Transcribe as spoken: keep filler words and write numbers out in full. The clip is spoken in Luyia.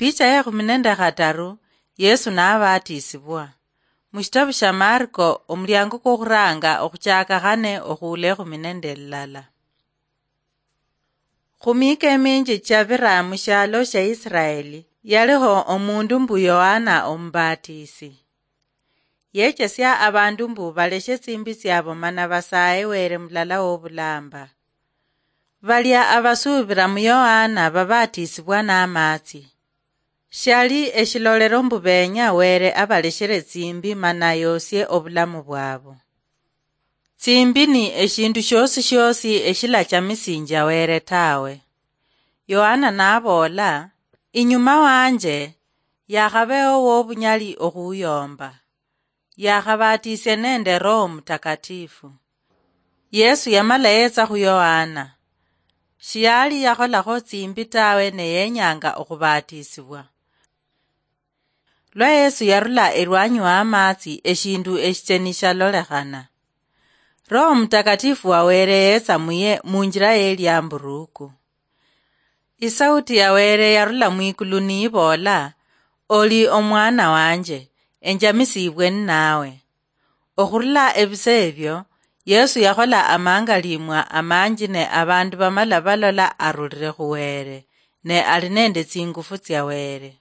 Picha ya ekhumi nende khataru, Yesu nabaatisibwa. Mushitabu sha Marko, omuliango kwokhuranga okhuchaka khane okhuula ekhumi nende lilala. Khumiika eminji chabira mushialo sha Israeli, yaliho omundu mbu Yohana Omubatisi. Yechesia abandu mbu baleshe tsimbi tsiabo mana basaye Were mulala wobulamba. Balia abasuubira mu Yohana babatisibwa namatsi. Shiali eshilolero mbu benya Were abaleshere tsimbi mana yosie obulamu bwabo. Tsimbi ni eshindu shiosi shiosi eshilachamisinjia Were tawe. Yohana naboola, "Inyuma wanje yakhabeho wobunyali okhuyomba. Yakhabatisia nende Roho Mutakatifu." Yesu yamala yetsa khu Yohana. Shiali yakholakho tsimbi tawe ne yenyanga okhubatisibwa. Lwa Yesu yarula elwanyi wa amatsi, eshindu eshicheni shalolekhana. Roho Mutakatifu wa Were yetsa muye munjira yeliamburuku. Isauti ya Were yarula mwikulu niiboola, "Oli omwana wanje, enjamisibwe ninawe." Okhurula ebise ebyo, Yesu yakhola amangalimwa amanji ne abandu bamala balola arulire khu Were, ne ali nende tsingufu tsia Were.